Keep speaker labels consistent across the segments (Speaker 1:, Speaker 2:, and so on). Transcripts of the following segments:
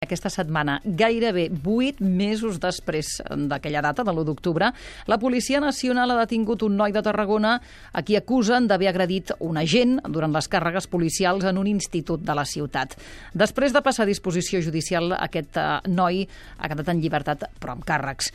Speaker 1: Aquesta setmana, gairebé 8 mesos després d'aquella data, de l'1 d'octubre, la Policia Nacional ha detingut un noi de Tarragona a qui acusen d'haver agredit un agent durant les càrregues policials en un institut de la ciutat. Després de passar a disposició judicial, aquest noi ha quedat en llibertat, però amb càrrecs.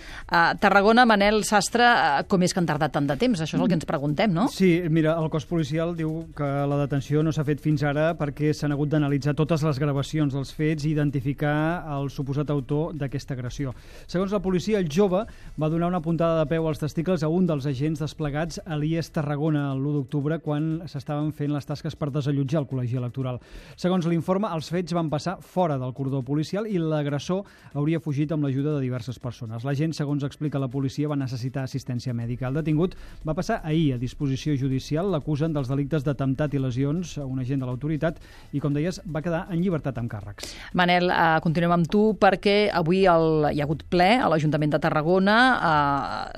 Speaker 1: Tarragona, Manel Sastre, com és que han tardat tant de temps? Això és el que ens preguntem, no?
Speaker 2: Sí, mira, el cos policial diu que la detenció no s'ha fet fins ara perquè s'han hagut d'analitzar totes les gravacions dels fets i identificar el suposat autor d'aquesta agressió. Segons la policia, el jove va donar una puntada de peu als testicles a un dels agents desplegats a l'IES Tarragona l'1 d'octubre quan s'estaven fent les tasques per desallotjar el col·legi electoral. Segons l'informe, els fets van passar fora del cordó policial i l'agressor hauria fugit amb l'ajuda de diverses persones. L'agent, segons explica la policia, va necessitar assistència mèdica. El detingut va passar ahir a disposició judicial. L'acusen dels delictes d'atemptat i lesions a un agent de l'autoritat i, com deies, va quedar en llibertat amb càrrecs.
Speaker 1: Manel, continuem amb tu perquè avui hi ha hagut ple a l'Ajuntament de Tarragona,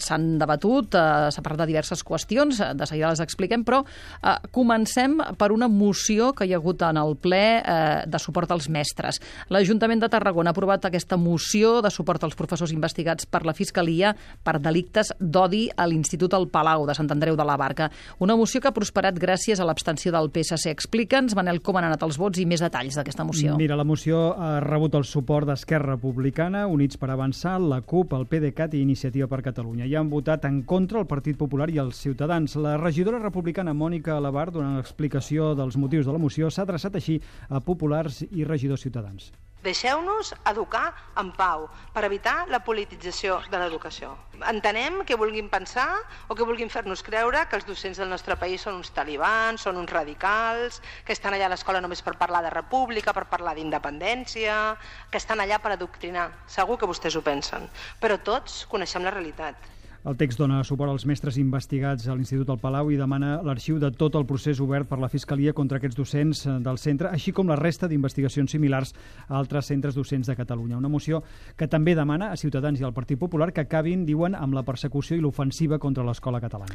Speaker 1: s'han debatut, s'ha parlat de diverses qüestions, de seguida les expliquem, però comencem per una moció que hi ha hagut en el ple de suport als mestres. L'Ajuntament de Tarragona ha aprovat aquesta moció de suport als professors investigats per la Fiscalia per delictes d'odi a l'Institut El Palau de Sant Andreu de la Barca. Una moció que ha prosperat gràcies a l'abstenció del PSC. Explica'ns, Manel, com han anat els vots i més detalls d'aquesta moció.
Speaker 2: Mira, la moció ha rebut el suport d'Esquerra Republicana, Units per Avançar, la CUP, el PDeCAT i Iniciativa per Catalunya. Hi han votat en contra el Partit Popular i els Ciutadans. La regidora republicana Mònica Alabar, donant l'explicació dels motius de la moció, s'ha adreçat així a populars i regidors ciutadans.
Speaker 3: Deixeu-nos educar en pau per evitar la politització de l'educació. Entenem que vulguin pensar o que vulguin fer-nos creure que els docents del nostre país són uns talibans, són uns radicals, que estan allà a l'escola només per parlar de república, per parlar d'independència, que estan allà per adoctrinar. Segur que vostès ho pensen, però tots coneixem la realitat.
Speaker 2: El text dona suport als mestres investigats a l'Institut El Palau i demana l'arxiu de tot el procés obert per la Fiscalia contra aquests docents del centre, així com la resta d'investigacions similars a altres centres docents de Catalunya. Una moció que també demana a Ciutadans i al Partit Popular que acabin, diuen, amb la persecució i l'ofensiva contra l'escola catalana.